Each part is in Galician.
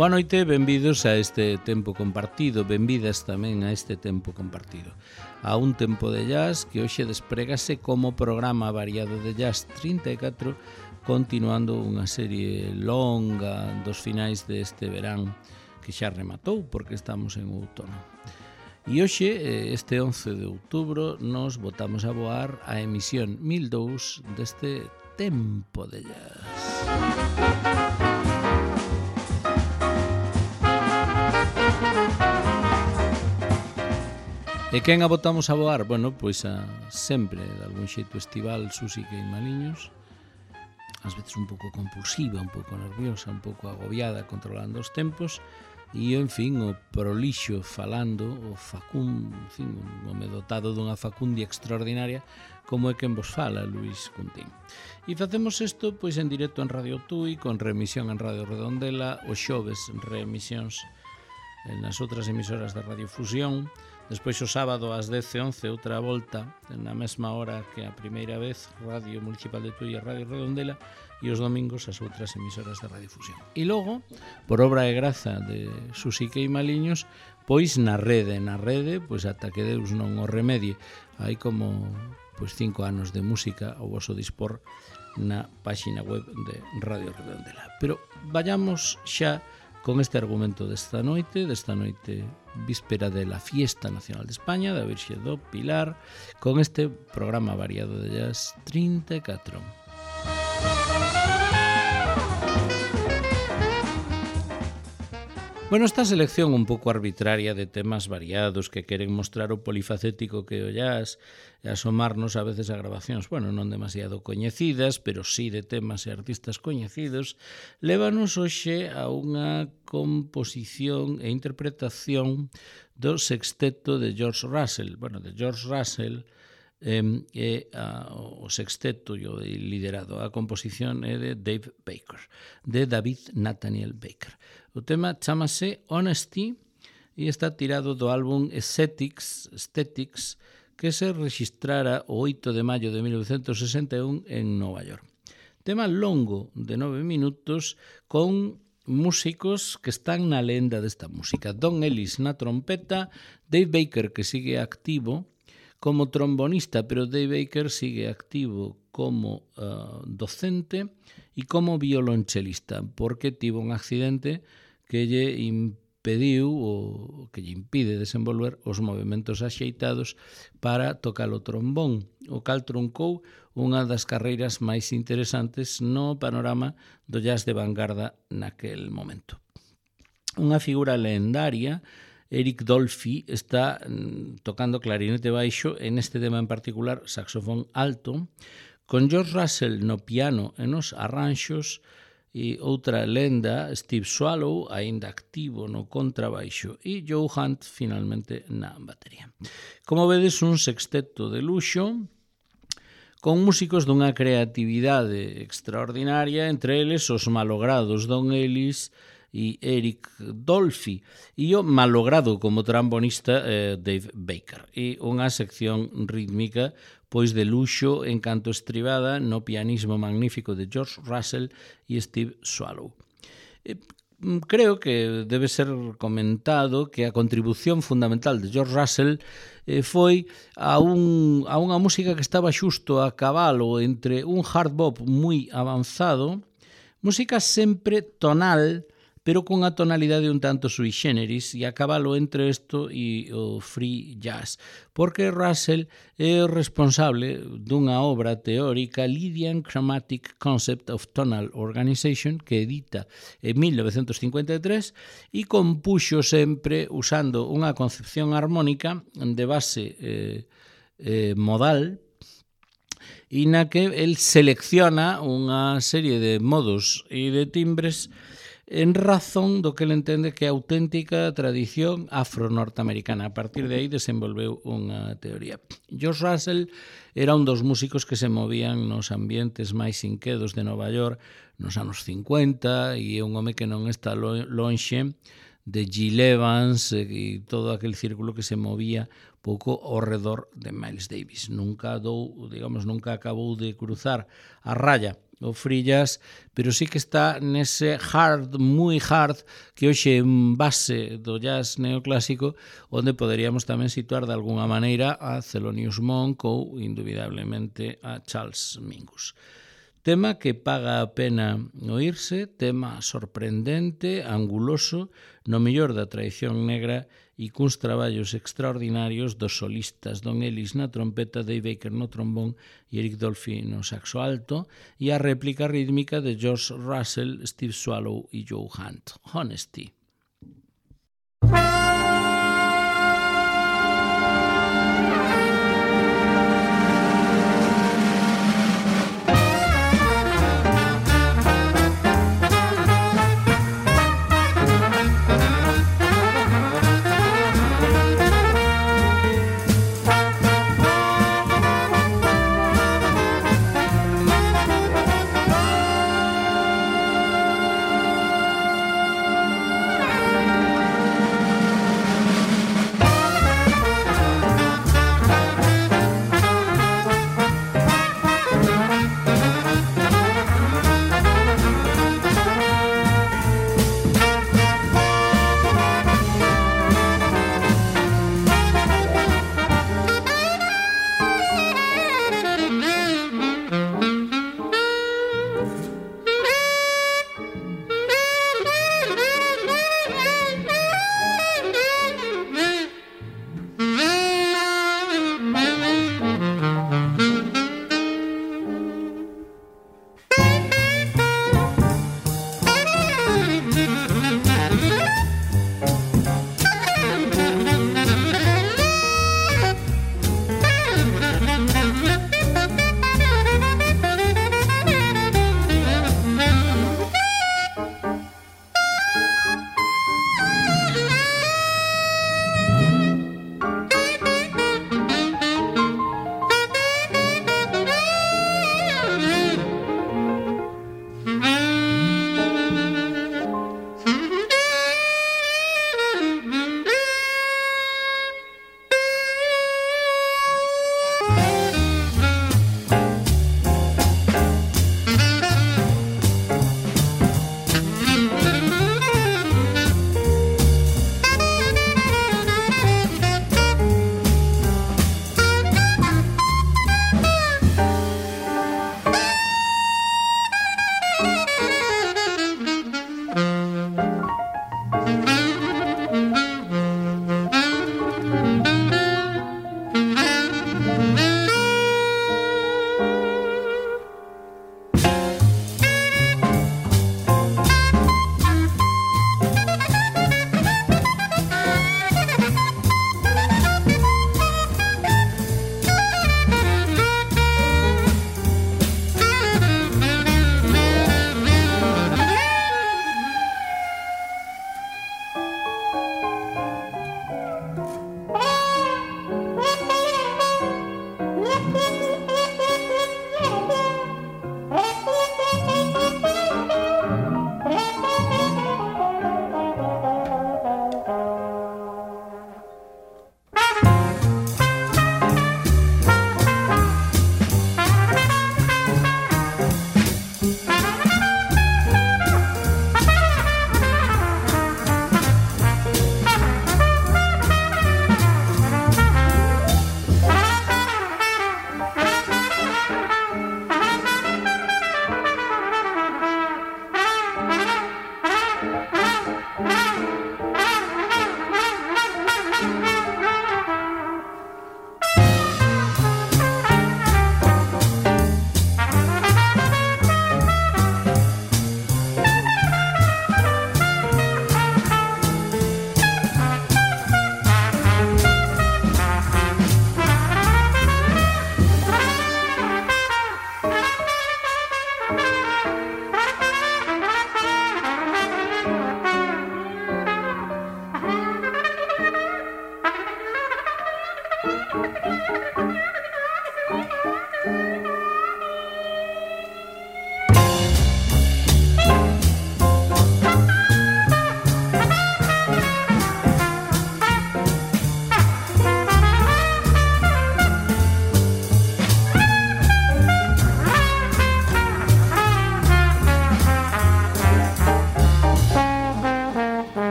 Boa noite, benvidos a este tempo compartido, benvidas tamén a este tempo compartido. A un tempo de jazz que hoxe desprégase como programa variado de jazz 34, continuando unha serie longa dos finais deste verán que xa rematou porque estamos en outono. E hoxe, este 11 de outubro, nos botamos a voar a emisión 1002 deste tempo de jazz. E quen a botamos a voar? Bueno, pois a sempre, de algún xeito estival, Susi Queimaliños, ás veces un pouco compulsiva, un pouco nerviosa, un pouco agobiada, controlando os tempos, e, en fin, o prolixo falando, o facún, en fin, un home dotado dunha facundia extraordinaria, como é quen vos fala, Luís Cuntín. E facemos isto, pois, en directo en Radio Tui, con remisión en Radio Redondela, os xoves reemisións nas outras emisoras da Radio Fusión, despois o sábado ás 10:11 outra volta na mesma hora que a primeira vez Radio Municipal de Tui e Radio Redondela, e os domingos as outras emisoras da Radio Fusión. E logo, por obra e graza de Susi Queimaliños, pois na rede, pois ata que Deus non o remedie, hai como pois 5 anos de música ao voso dispor na páxina web de Radio Redondela. Pero vayamos xa con este argumento desta noite víspera de la Fiesta Nacional de España, da Virxe do Pilar, con este programa variado de jazz 34. Bueno, esta selección un pouco arbitraria de temas variados que queren mostrar o polifacético que o jazz e asomarnos a veces a grabacións, bueno, non demasiado coñecidas, pero sí de temas e artistas coñecidos, lévanos hoxe a unha composición e interpretación do sexteto de George Russell. Bueno, de George Russell o sexteto liderado. A composición é de Dave Baker, de David Nathaniel Baker. O tema chámase Honesty e está tirado do álbum Aesthetics, que se registrara o 8 de maio de 1961 en Nova York. Tema longo de 9 minutos con músicos que están na lenda desta música. Don Ellis na trompeta, Dave Baker, que sigue activo como trombonista, pero Dave Baker sigue activo como docente e como violonchelista, porque tivo un accidente que lle impediu ou que lle impide desenvolver os movimentos axeitados para tocar o trombón, o cal truncou unha das carreiras máis interesantes no panorama do jazz de vanguarda naquel momento. Unha figura lendaria, Eric Dolphy, está tocando clarinete baixo, en este tema en particular saxofón alto, con George Russell no piano e nos arranxos, e outra lenda, Steve Swallow, aínda activo no contrabaixo, e Joe Hunt finalmente na batería. Como vedes, un sexteto de luxo, con músicos dunha creatividade extraordinaria, entre eles os malogrados Don Ellis e Eric Dolphy, e o malogrado como trombonista Dave Baker, e unha sección rítmica pois de luxo en canto estribada no pianismo magnífico de George Russell e Steve Swallow. Creo que debe ser comentado que a contribución fundamental de George Russell foi a unha música que estaba xusto a cabalo entre un hard bop moi avanzado, música sempre tonal, pero con a tonalidade un tanto sui generis, e a cabalo entre isto e o free jazz, porque Russell é o responsable dunha obra teórica, Lydian Chromatic Concept of Tonal Organization, que edita en 1953, e compuxo sempre usando unha concepción armónica de base modal, e na que el selecciona unha serie de modos e de timbres en razón do que ele entende que é a auténtica tradición afro-norteamericana. A partir de aí desenvolveu unha teoría. George Russell era un dos músicos que se movían nos ambientes máis inquedos de Nova York nos anos 50, e é un home que non está lonxe de Gil Evans e todo aquel círculo que se movía pouco ao redor de Miles Davis. Nunca acabou de cruzar a raya o free jazz, pero sí que está nese hard, moi hard, que hoxe é un base do jazz neoclásico, onde poderíamos tamén situar de alguna maneira a Thelonious Monk ou, indubidablemente, a Charles Mingus. Tema que paga a pena oírse, tema sorprendente, anguloso, no mellor da tradición negra e cuns traballos extraordinarios dos solistas Don Ellis na trompeta, Dave Baker no trombón e Eric Dolphy no saxo alto, e a réplica rítmica de George Russell, Steve Swallow e Joe Hunt. Honesty.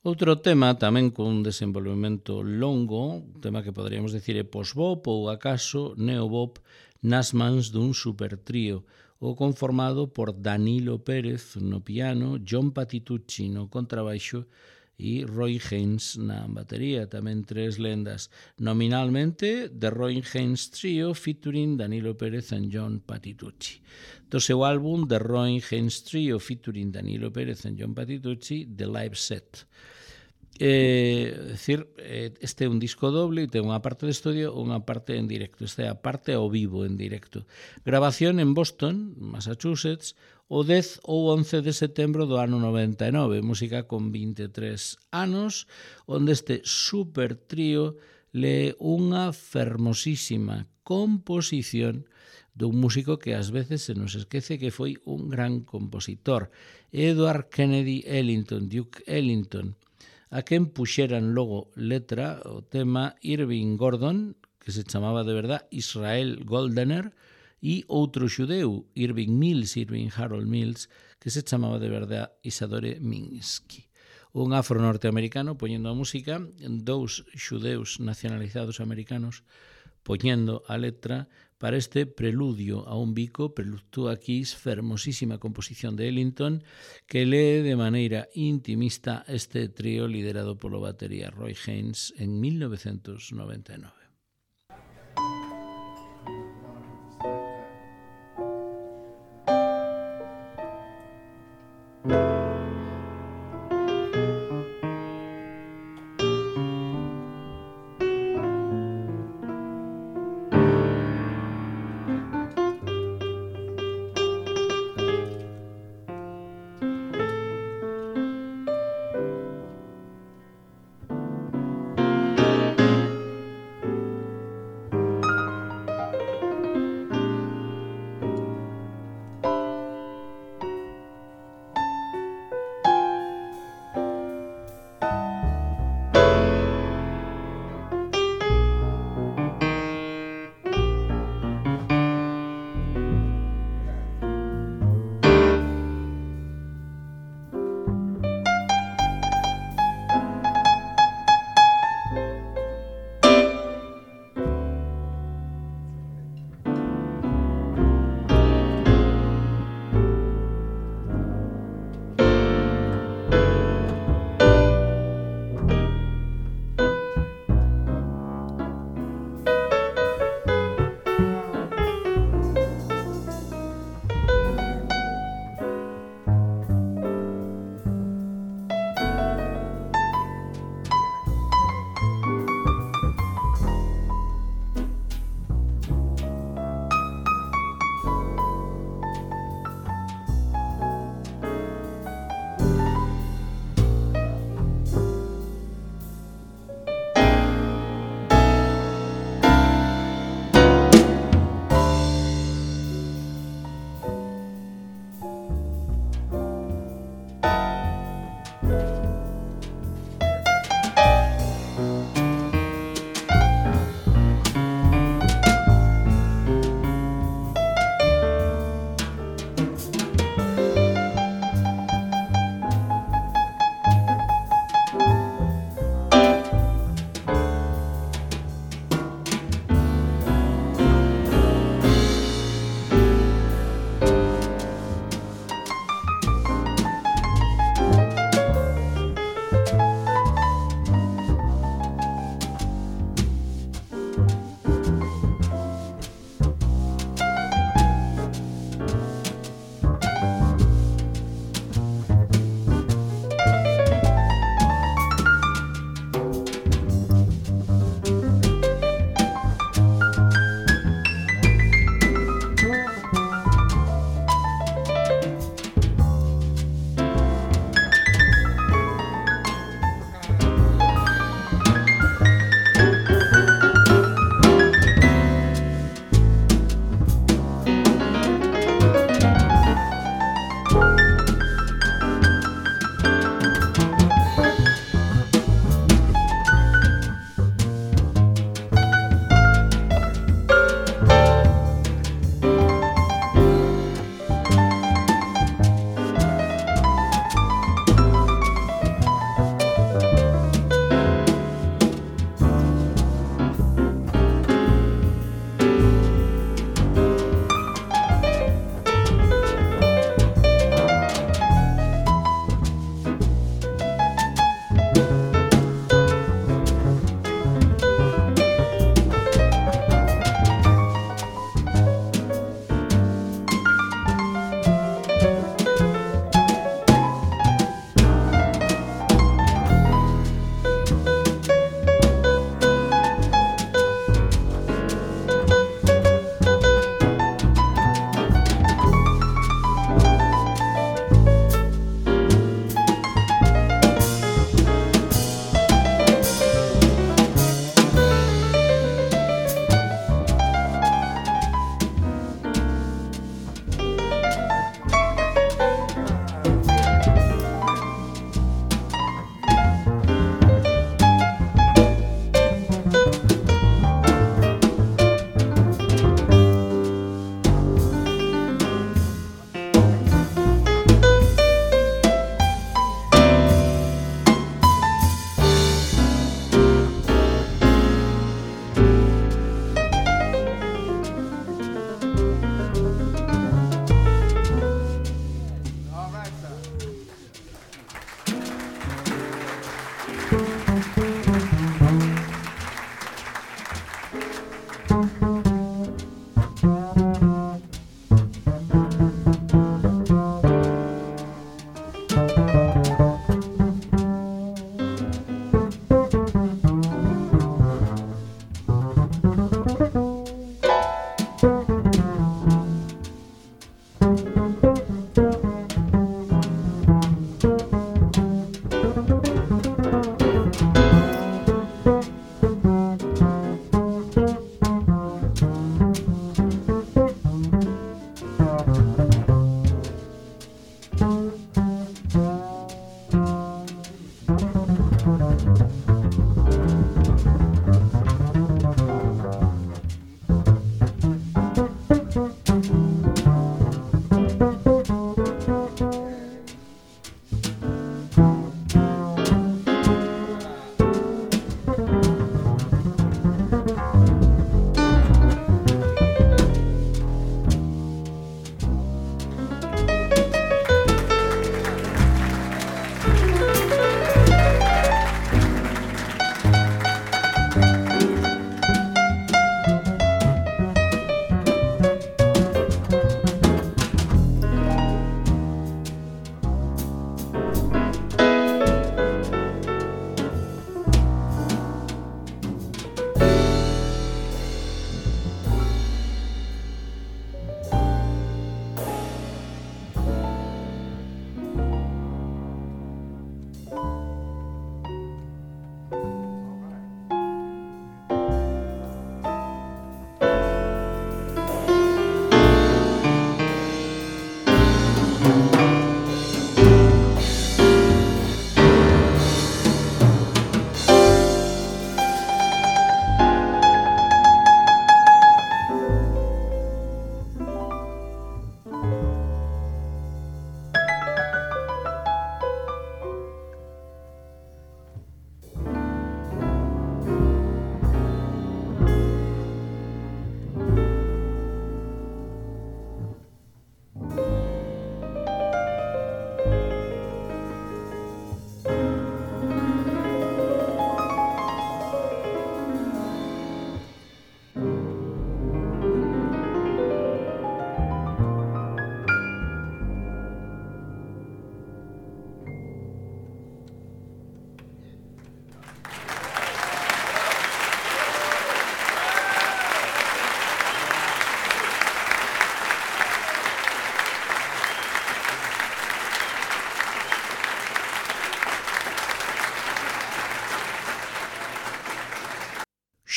Outro tema tamén con un desenvolvemento longo, un tema que poderíamos decir é post-bop ou acaso neo-bop nas mans dun supertrío, o conformado por Danilo Pérez no piano, John Patitucci no contrabaixo e Roy Haynes na batería, tamén tres lendas. Nominalmente, The Roy Haynes Trio featuring Danilo Pérez and John Patitucci. Do seu álbum The Roy Haynes Trio featuring Danilo Pérez and John Patitucci, The Live Set. Este é un disco doble e ten unha parte de estudio e unha parte en directo. Esta é a parte ao vivo en directo. Grabación en Boston, Massachusetts, o 10 ou 11 de setembro do ano 99. Música con 23 anos, onde este super trío lee unha fermosísima composición dun músico que ás veces se nos esquece que foi un gran compositor, Edward Kennedy Ellington, Duke Ellington, a quen puxeran logo letra o tema Irving Gordon, que se chamaba de verdad Israel Goldener, e outro xudeu, Irving Harold Mills, que se chamaba de verdad Isadore Minsky. Un afro norteamericano poñendo a música, dous xudeus nacionalizados americanos poñendo a letra para este preludio a un bico, Preludio a Kiss, fermosísima composición de Ellington, que lee de maneira intimista este trío liderado polo batería Roy Haynes en 1999.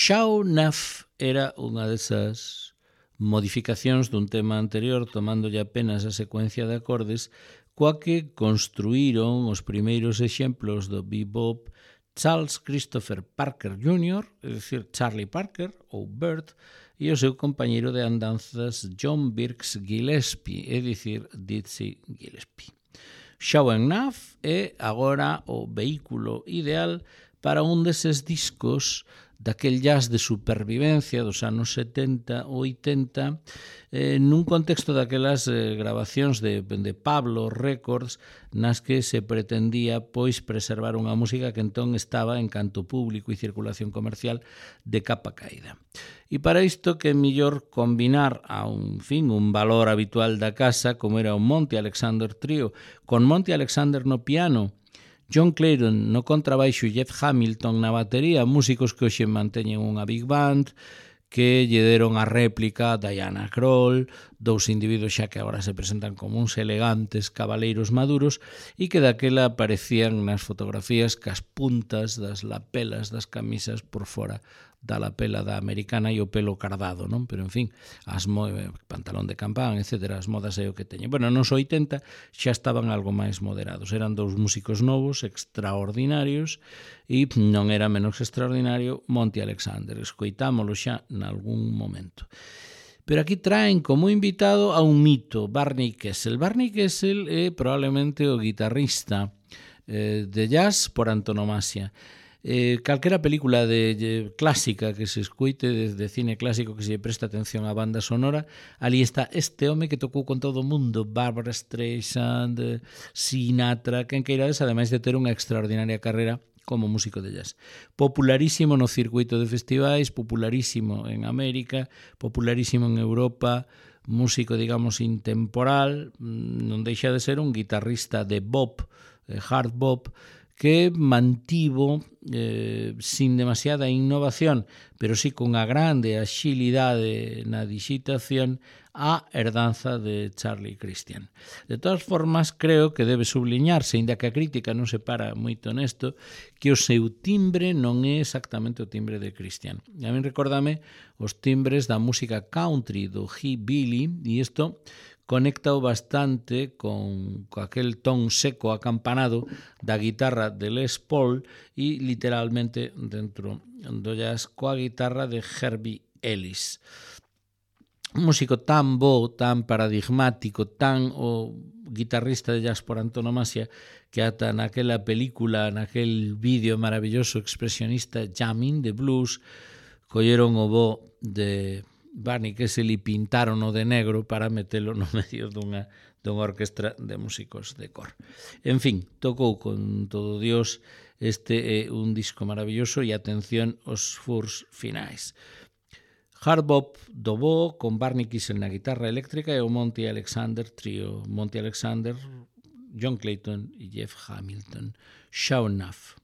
Show Enough era unha desas modificacións dun tema anterior, tomándolle apenas a secuencia de acordes, coa que construíron os primeiros exemplos do bebop Charles Christopher Parker Jr., é dicir, Charlie Parker, ou Bert, e o seu compañeiro de andanzas John Birks Gillespie, é dicir, Dizzy Gillespie. Show Enough é agora o vehículo ideal para un deses discos daquel jazz de supervivencia dos anos 70 ou 80 nun contexto daquelas grabacións de Pablo Records nas que se pretendía pois preservar unha música que entón estaba en canto público e circulación comercial de capa caída. E para isto que é mellor combinar a un valor habitual da casa como era o Monty Alexander Trio con Monty Alexander no piano, John Clayton no contrabaixo e Jeff Hamilton na batería, músicos que hoxe manteñen unha big band, que lle deron a réplica a Diana Krall, dous individuos xa que agora se presentan como uns elegantes cabaleiros maduros e que daquela aparecían nas fotografías cas puntas das lapelas das camisas por fora da lapela da americana e o pelo cardado, non? Pero, en fin, pantalón de campán, etc. As modas é o que teñen. Bueno, nos 80 xa estaban algo máis moderados. Eran dous músicos novos, extraordinarios, e non era menos extraordinario Monty Alexander. Escoitámolo xa nalgún momento. Pero aquí traen como invitado a un mito, Barney Kessel. Barney Kessel é probablemente o guitarrista de jazz por antonomasia. Calquera película de clásica que se escuite, de cine clásico que se presta atención á banda sonora, ali está este home que tocou con todo o mundo, Barbra Streisand, Sinatra, quen queirades, ademais de ter unha extraordinaria carreira como músico de jazz. Popularísimo no circuito de festivais, popularísimo en América, popularísimo en Europa, músico, digamos, intemporal, non deixa de ser un guitarrista de bop, hard bop, que mantivo sin demasiada innovación, pero sí con unha grande axilidade na digitación a herdanza de Charlie Christian. De todas formas, creo que debe subliñarse, inda que a crítica non se para moito nesto, que o seu timbre non é exactamente o timbre de Christian. A mí recórdame os timbres da música country do hillbilly, e isto conectao bastante con aquel ton seco acampanado da guitarra de Les Paul e literalmente dentro do jazz coa guitarra de Herbie Ellis. Un músico tan bo, tan paradigmático, tan o guitarrista de jazz por antonomasia que ata naquela película, naquel vídeo maravilloso expresionista Jamming de Blues, colleron o bo de Barney Kessel e pintaron-o de negro para metelo no medio dunha orquestra de músicos de cor. En fin, tocou con todo Dios, este é un disco maravilloso e atención aos furs finais. Hard bop do bo con Barney Kessel na guitarra eléctrica e o Monty Alexander Trio. Monty Alexander, John Clayton e Jeff Hamilton. Show Enough.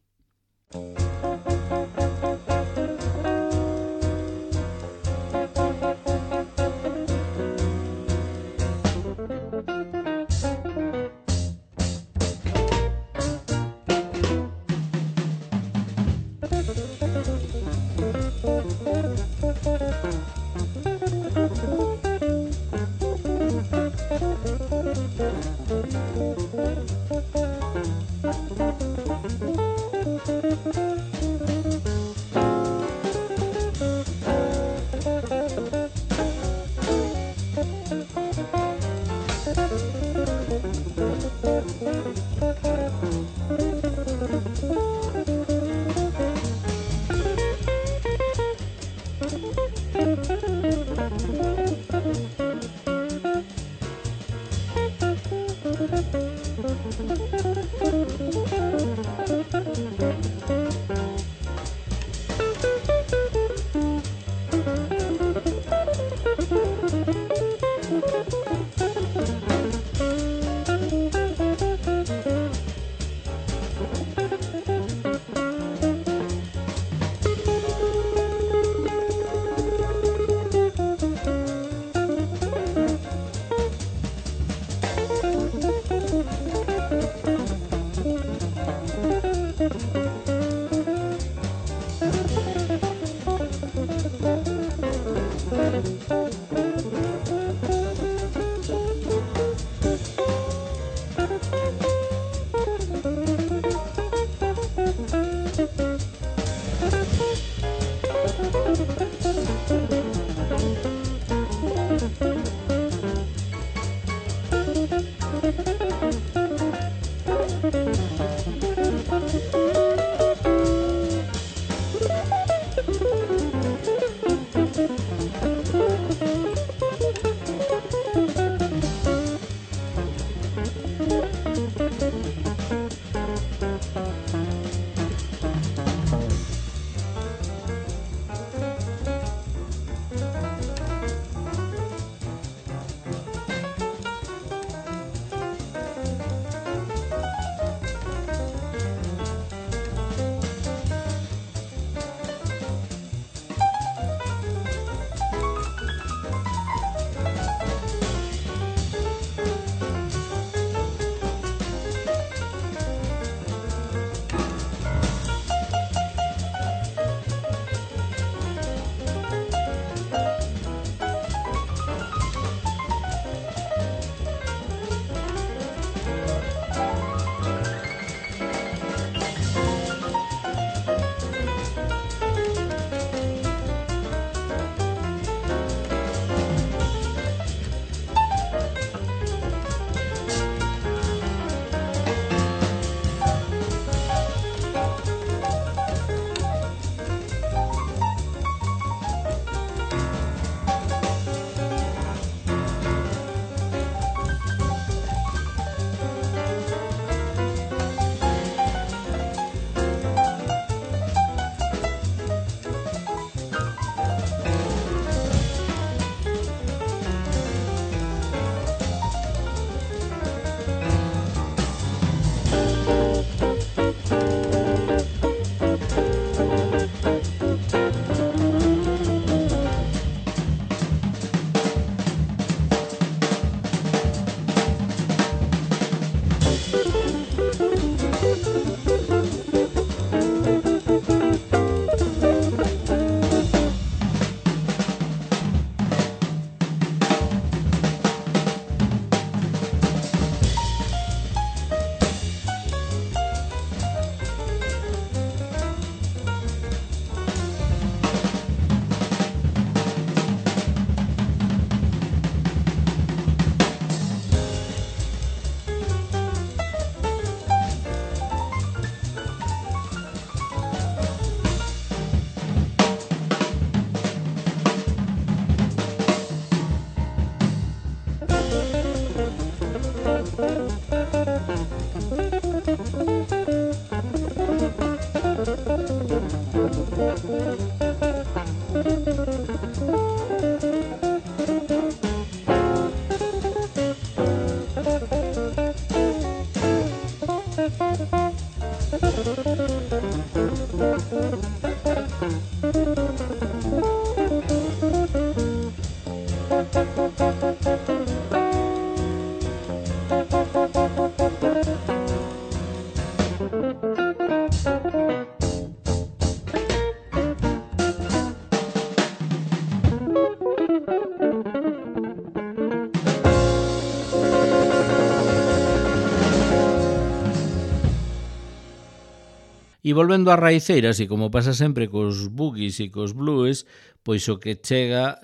E volvendo ás raiceiras, e como pasa sempre cos boogies e cos blues, pois o que chega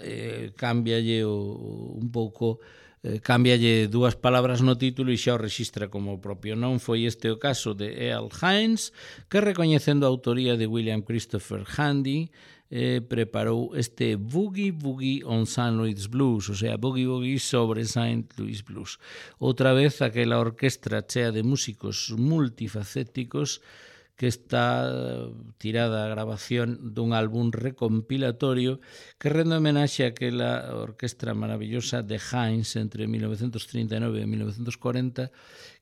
cámbialle un pouco, cámbialle dúas palabras no título e xa o rexistra como propio. Non foi este o caso de Earl Hines, que recoñecendo a autoría de William Christopher Handy, preparou este Boogie Boogie on St. Louis Blues, o sea, Boogie Boogie sobre St. Louis Blues. Outra vez aquela orquestra chea de músicos multifacéticos que está tirada a grabación dun álbum recompilatorio que rende homenaxe a aquela orquestra maravillosa de Hines entre 1939 e 1940,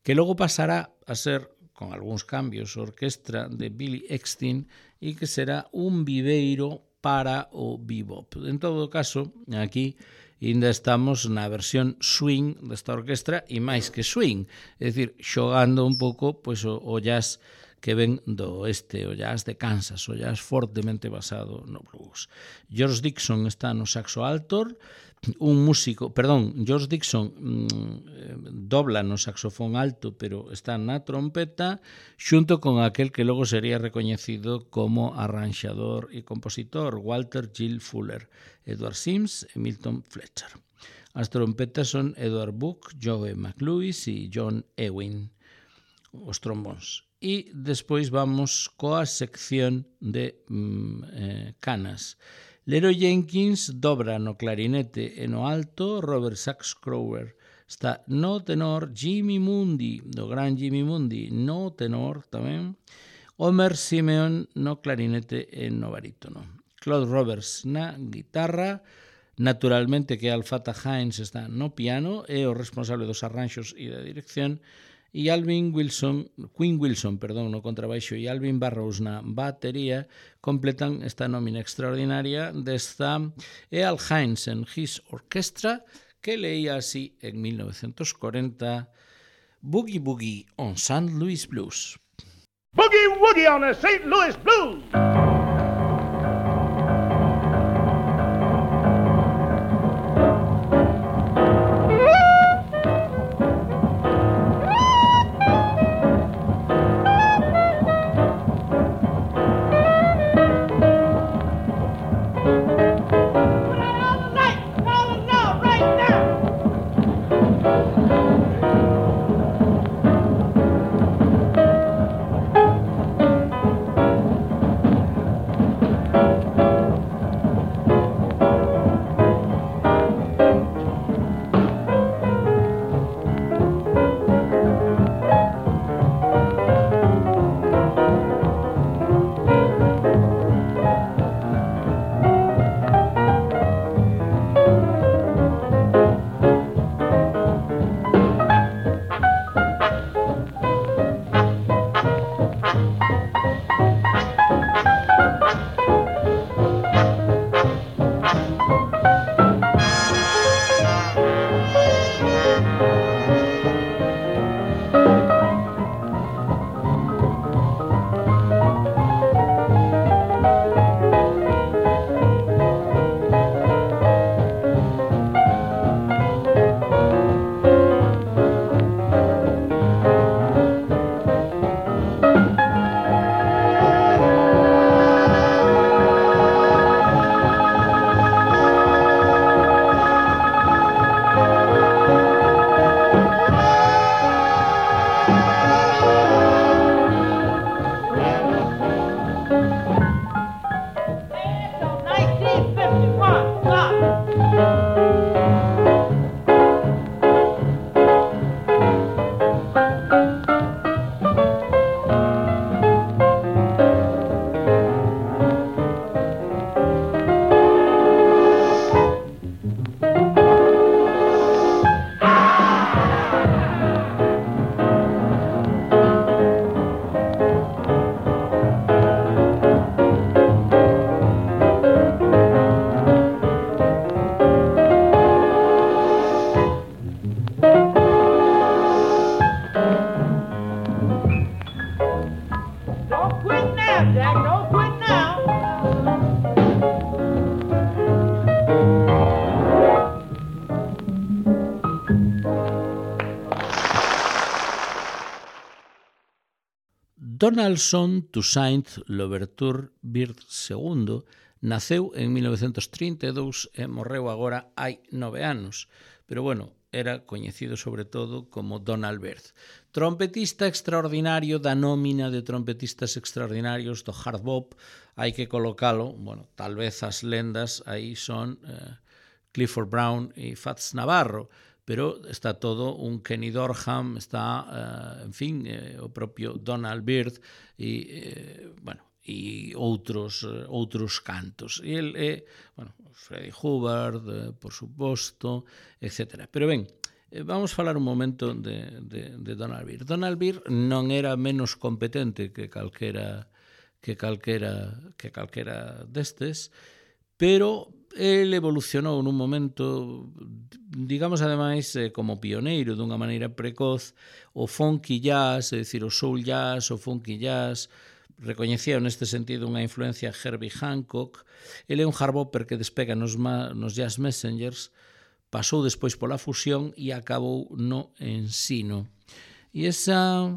que logo pasará a ser, con algúns cambios, orquestra de Billy Eckstine e que será un viveiro para o bebop. En todo caso, aquí ainda estamos na versión swing desta orquestra e máis que swing, é dicir, xogando un pouco pois, o jazz que ven do oeste, o jazz de Kansas, o jazz fortemente basado no blues. George Dixon está no saxo alto, George Dixon dobla no saxofón alto, pero está na trompeta, xunto con aquel que logo sería recoñecido como arranxador e compositor, Walter Gill Fuller, Edward Sims e Milton Fletcher. As trompetas son Edward Book, Joe McLewis e John Ewing, os trombóns. E despois vamos coa sección de canas. Leroy Jenkins dobra no clarinete e no alto, Robert Sax Crower está no tenor, Jimmy Mundy, do gran Jimmy Mundy, no tenor tamén, Homer Simeon no clarinete e no barítono. Claude Roberts na guitarra, naturalmente que Alfata Hines está no piano, é o responsable dos arranxos e da dirección, e Queen Wilson, no contrabaixo e Alvin Barrows na batería completan esta nómina extraordinaria desta Earl Hines and His Orchestra, que leía así en 1940 Boogie Boogie on St. Louis Blues. Boogie Woogie on the St. Louis Blues! right, Jack. Don't quit now. Donaldson Toussaint Louverture Bird II naceu en 1932 e morreu agora hai 9 anos, pero bueno, era coñecido sobre todo como Donald Byrd. Trompetista extraordinario da nómina de trompetistas extraordinarios do hard bop, hai que colocalo, bueno, tal vez as lendas aí son Clifford Brown e Fats Navarro, pero está todo un Kenny Dorham, está, en fin, o propio Donald Byrd e, bueno, e outros cantos. E el é, bueno, Freddie Hubbard, por suposto, etc. Pero ben, vamos falar un momento de Donald Byrd. Donald Byrd non era menos competente que calquera destes, pero el evolucionou nun momento, digamos, ademais, como pioneiro dunha maneira precoz, o funky jazz, é dicir, o soul jazz, o funky jazz, recoñecía neste sentido unha influencia Herbie Hancock. Ele é un hardbopper que despega nos Jazz Messengers, pasou despois pola fusión e acabou no ensino. E esa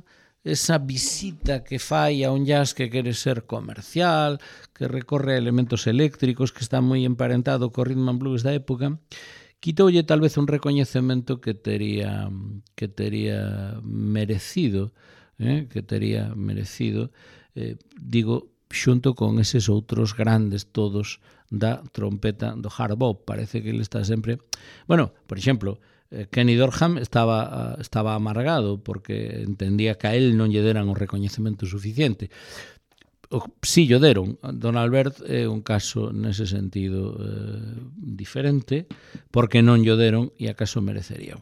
visita que fai a un jazz que quere ser comercial, que recorre a elementos eléctricos, que está moi emparentado co rhythm and blues da época, quitoulle tal vez un recoñecemento que tería merecido, digo, xunto con eses outros grandes todos da trompeta do hard bop. Parece que ele está sempre... Bueno, por exemplo, Kenny Dorham estaba amargado porque entendía que a él non lle deran o recoñecemento suficiente. Si lle deron. Donald Byrd é un caso nese sentido diferente, porque non lle deron e acaso merecería.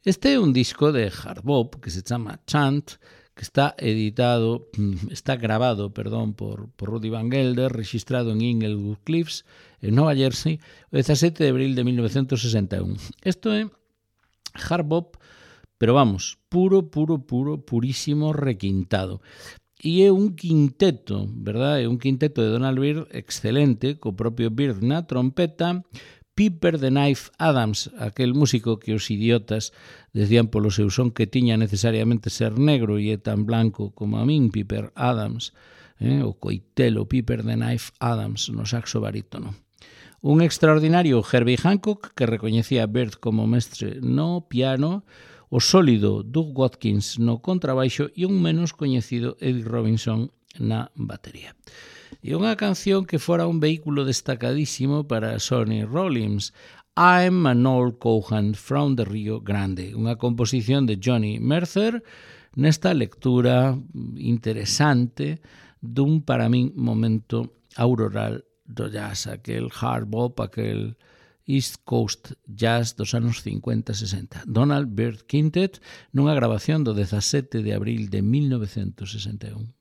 Este é un disco de hard bop que se chama Chant, que está grabado por Rudy Van Gelder, registrado en Inglewood Cliffs, en Nova Jersey, o 17 de abril de 1961. Isto é hard bop, pero vamos, purísimo requintado. E é un quinteto, verdad? É un quinteto de Donald Byrd excelente, co propio Byrd na trompeta, Piper the Knife Adams, aquel músico que os idiotas decían polo seu son que tiña necesariamente ser negro e é tan blanco como a min, Piper Adams, o coitelo Piper the Knife Adams no saxo barítono. Un extraordinario Herbie Hancock que recoñecía a Byrd como mestre no piano, o sólido Doug Watkins no contrabaixo e un menos coñecido Eddie Robinson na batería. E unha canción que fora un vehículo destacadísimo para Sonny Rollins, I'm an Old Cowhand from the Rio Grande, unha composición de Johnny Mercer nesta lectura interesante dun, para min, momento auroral do jazz, aquel hard bop, aquel East Coast Jazz dos anos 50-60. Donald Byrd Quintet nunha grabación do 17 de abril de 1961.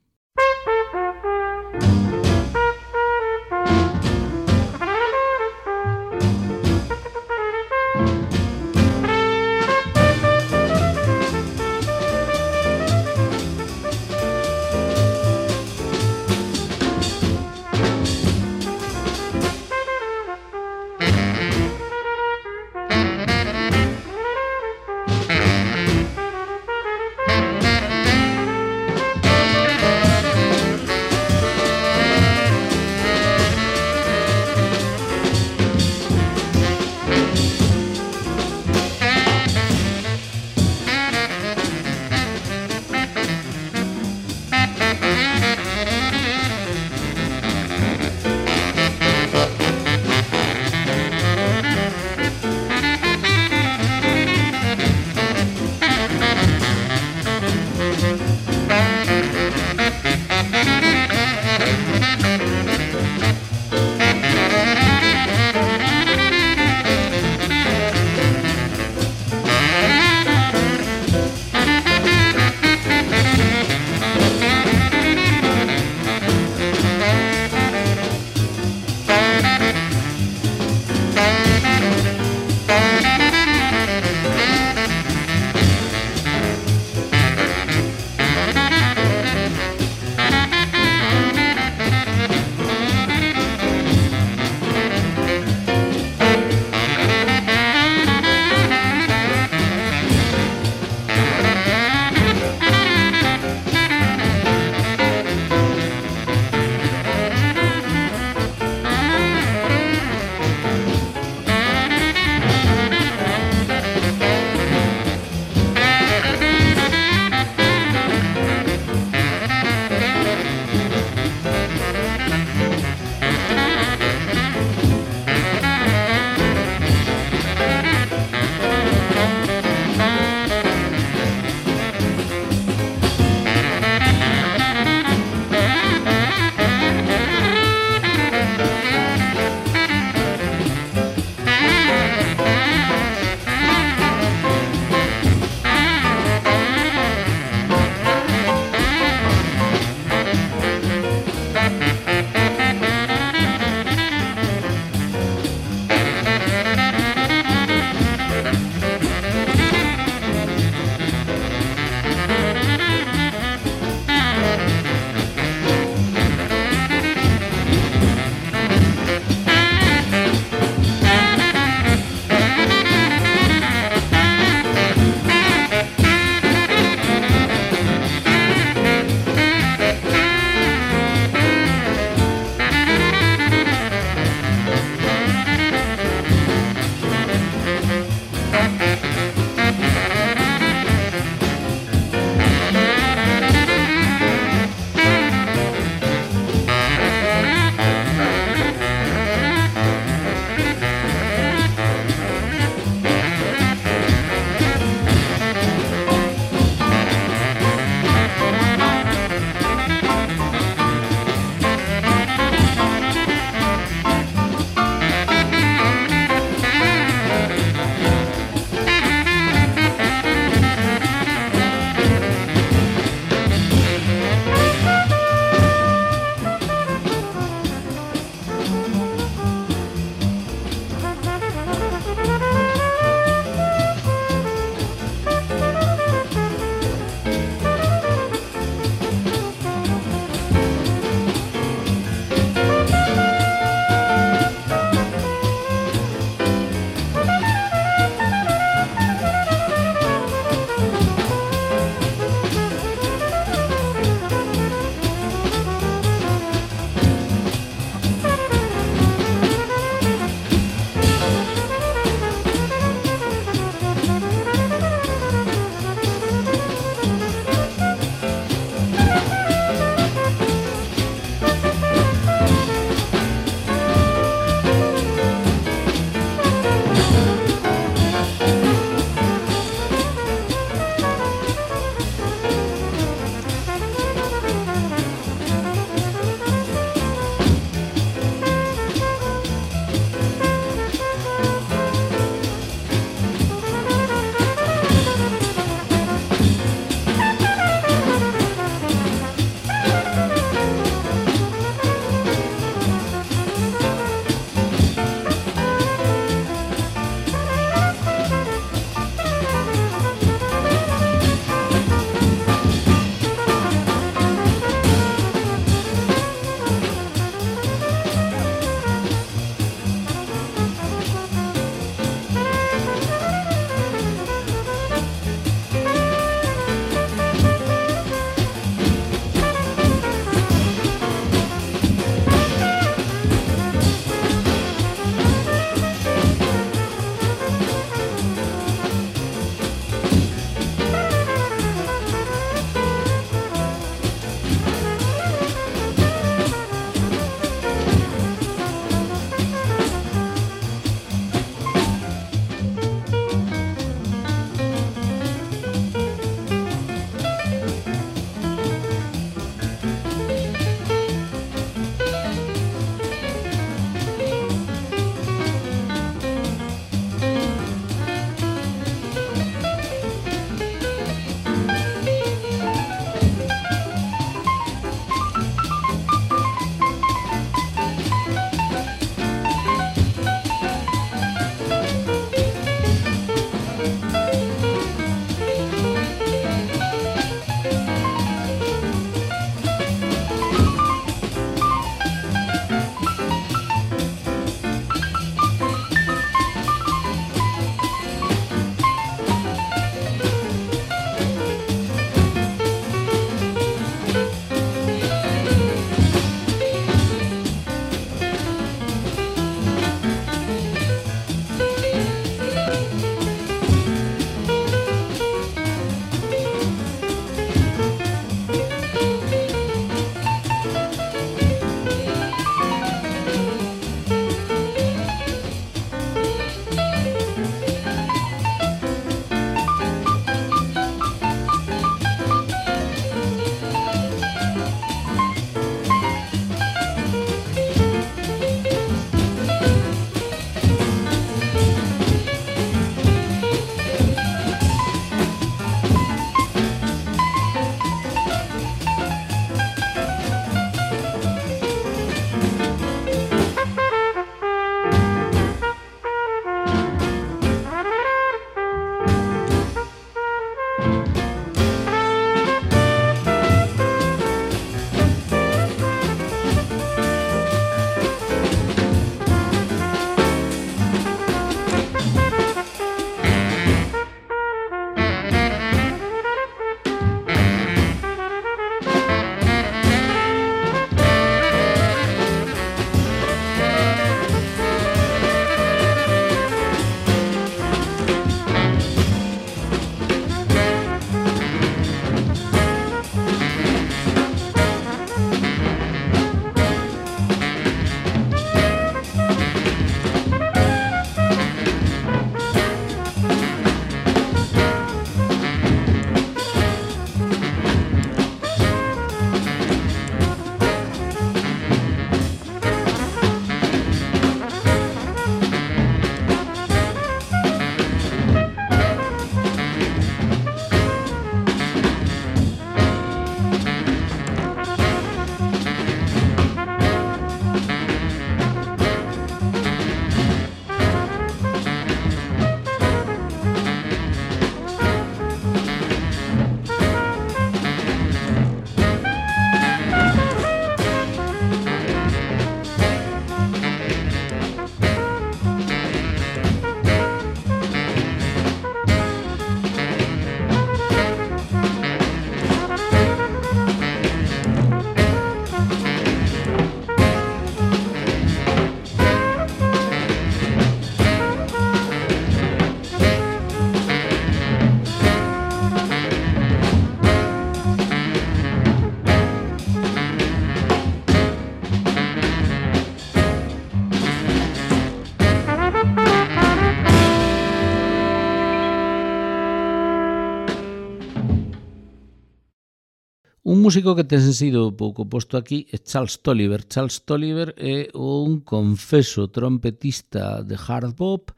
Un músico que ten sido pouco posto aquí é Charles Tolliver. Charles Tolliver é un confeso trompetista de hard bop,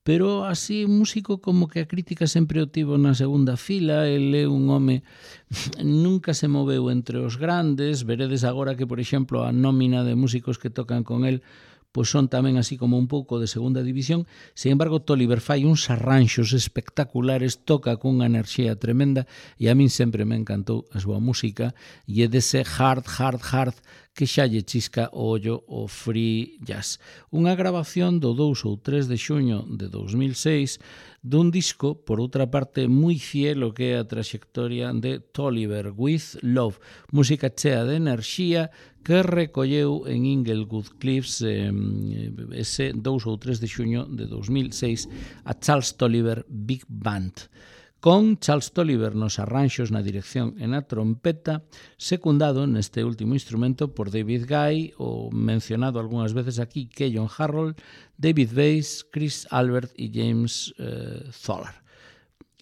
pero así un músico como que a crítica sempre o tivo na segunda fila. Ele é un home, nunca se moveu entre os grandes. Veredes agora que, por exemplo, a nómina de músicos que tocan con el pois son tamén así como un pouco de segunda división. Sin embargo, Tolliver fai uns arranxos espectaculares, toca cunha enerxía tremenda e a min sempre me encantou a súa música e é dese hard que xa lle chisca o ollo o free jazz. Unha grabación do 2 ou 3 de xuño de 2006 dun disco, por outra parte, moi fiel o que é a traxectoria de Tolliver, With Love, música chea de enerxía que recolleu en Inglewood Cliffs ese 2 ou 3 de xuño de 2006 a Charles Tolliver Big Band, con Charles Tolliver nos arranxos, na dirección e na trompeta, secundado neste último instrumento por David Guy, o mencionado algunhas veces aquí, Keyon Harrold, David Bass, Chris Albert e James Tholar.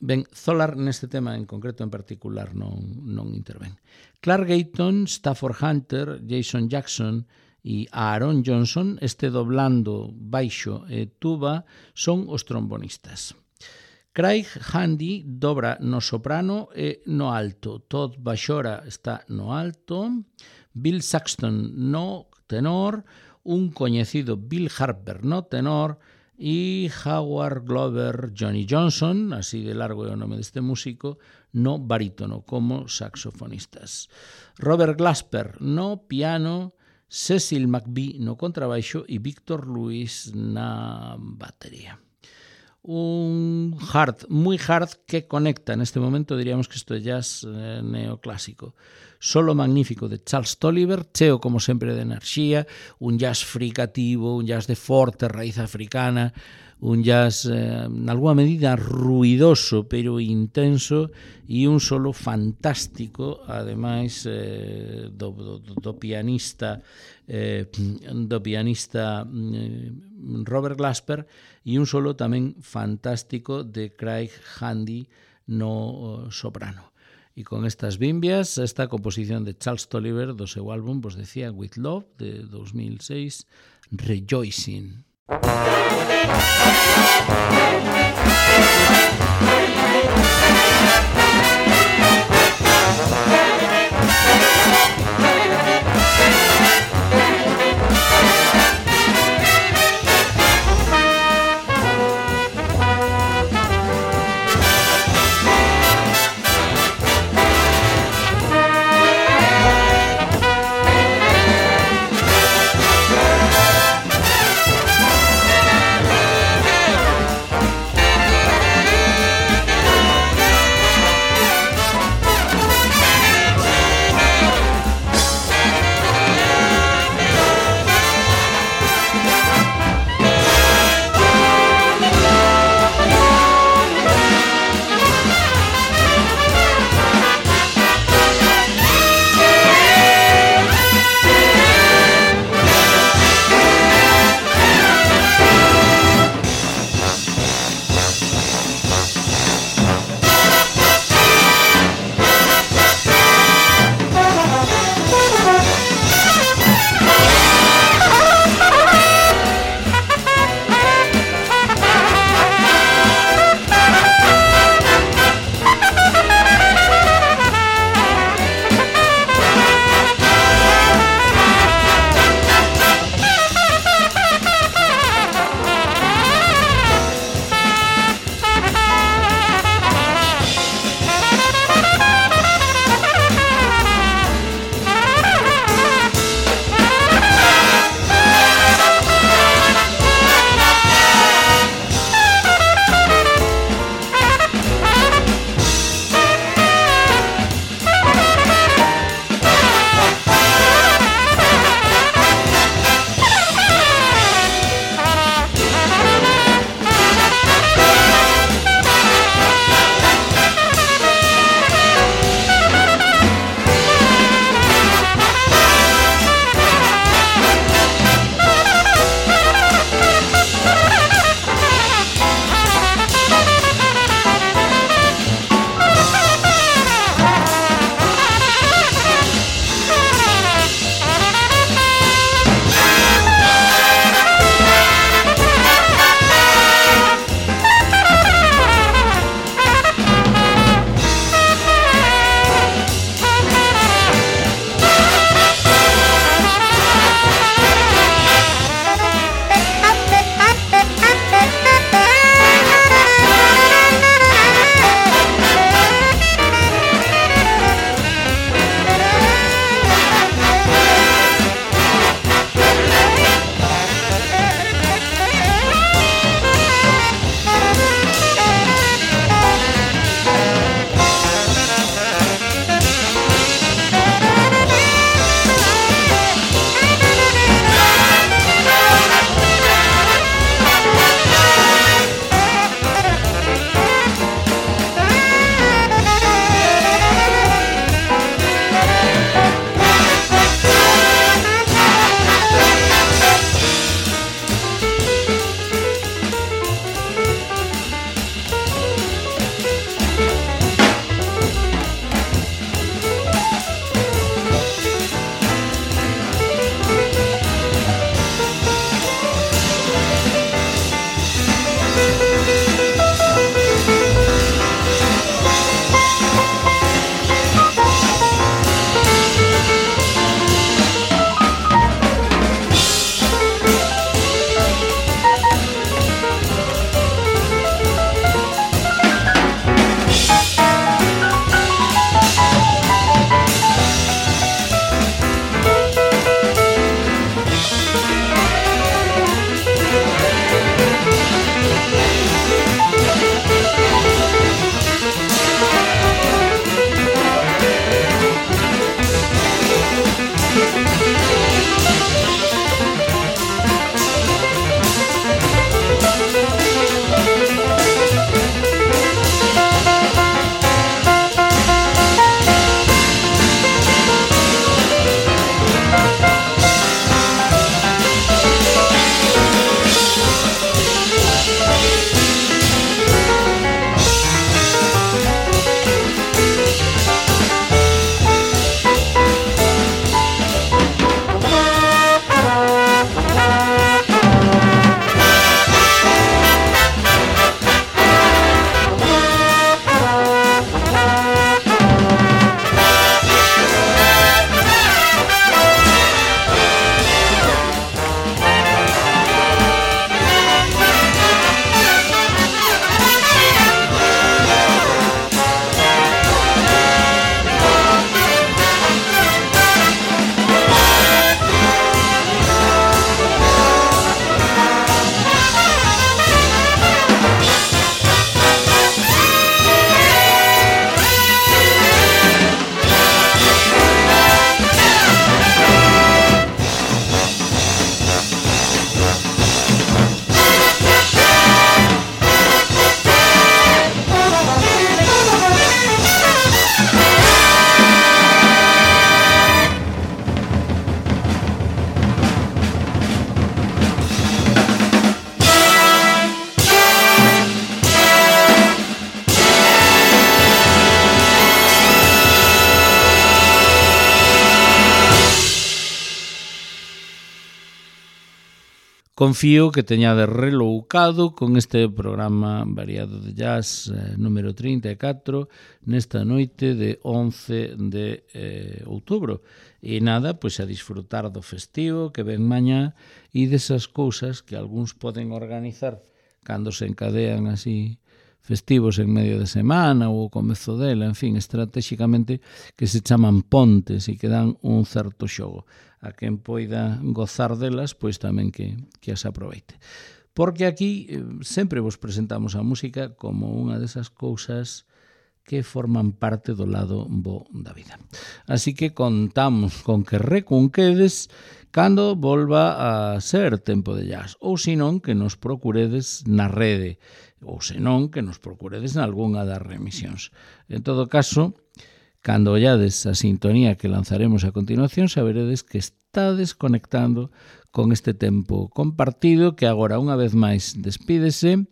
Ben, Tholar neste tema en concreto en particular non intervén. Clark Gayton, Stafford Hunter, Jason Jackson e Aaron Johnson, este doblando baixo e tuba, son os trombonistas. Craig Handy dobra no soprano e no alto. Todd Bashora está no alto. Bill Saxton no tenor. Un coñecido Bill Harper no tenor. E Howard Glover, Johnny Johnson, así de largo é o nome deste músico, no barítono como saxofonistas. Robert Glasper no piano, Cecil McBee no contrabaixo e Victor Lewis na batería. Un hard, moi hard, que conecta neste momento, diríamos que isto é jazz neoclásico. Solo magnífico de Charles Tolliver, cheo como sempre de enerxía, un jazz fricativo, un jazz de forte raíz africana, un jazz en alguma medida ruidoso pero intenso, e un solo fantástico, ademais do pianista Robert Glasper, e un solo tamén fantástico de Craig Handy no soprano. E con estas bimbias, esta composición de Charles Tolliver do seu álbum, vos decía, With Love, de 2006, Rejoicing. Confío que teñades reloucado con este programa variado de jazz número 34 nesta noite de 11 de outubro. E nada, pois a disfrutar do festivo que ven mañá e desas cousas que algúns poden organizar cando se encadean así festivos en medio de semana ou o comezo dela, en fin, estratégicamente que se chaman pontes e que dan un certo xogo. A quen poida gozar delas, pois tamén que as aproveite. Porque aquí sempre vos presentamos a música como unha desas cousas que forman parte do lado bo da vida. Así que contamos con que recunquedes cando volva a ser tempo de jazz, ou senón que nos procuredes na rede, ou senón que nos procuredes nalgunha das remisións. En todo caso, cando ollades a sintonía que lanzaremos a continuación, saberedes que estades conectando con este tempo compartido que agora unha vez máis despídese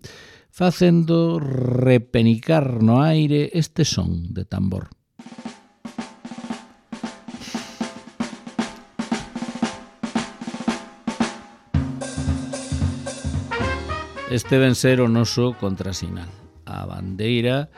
facendo repenicar no aire este son de tambor. Este ven ser o noso contrasinal, a bandeira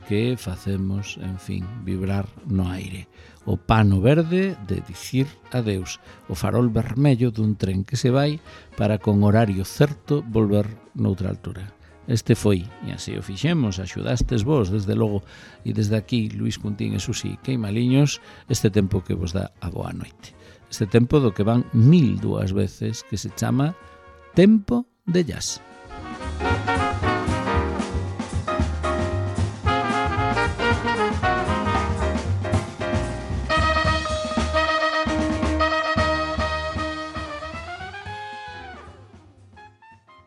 que facemos, en fin, vibrar no aire. O pano verde de dicir adeus, o farol vermello dun tren que se vai para con horario certo volver noutra altura. Este foi, e así o fixemos, axudastes vos, desde logo, e desde aquí, Luís Cuntín e Susi Queimaliños, este tempo que vos dá a boa noite. Este tempo do que van 1002 veces, que se chama Tempo de Jazz.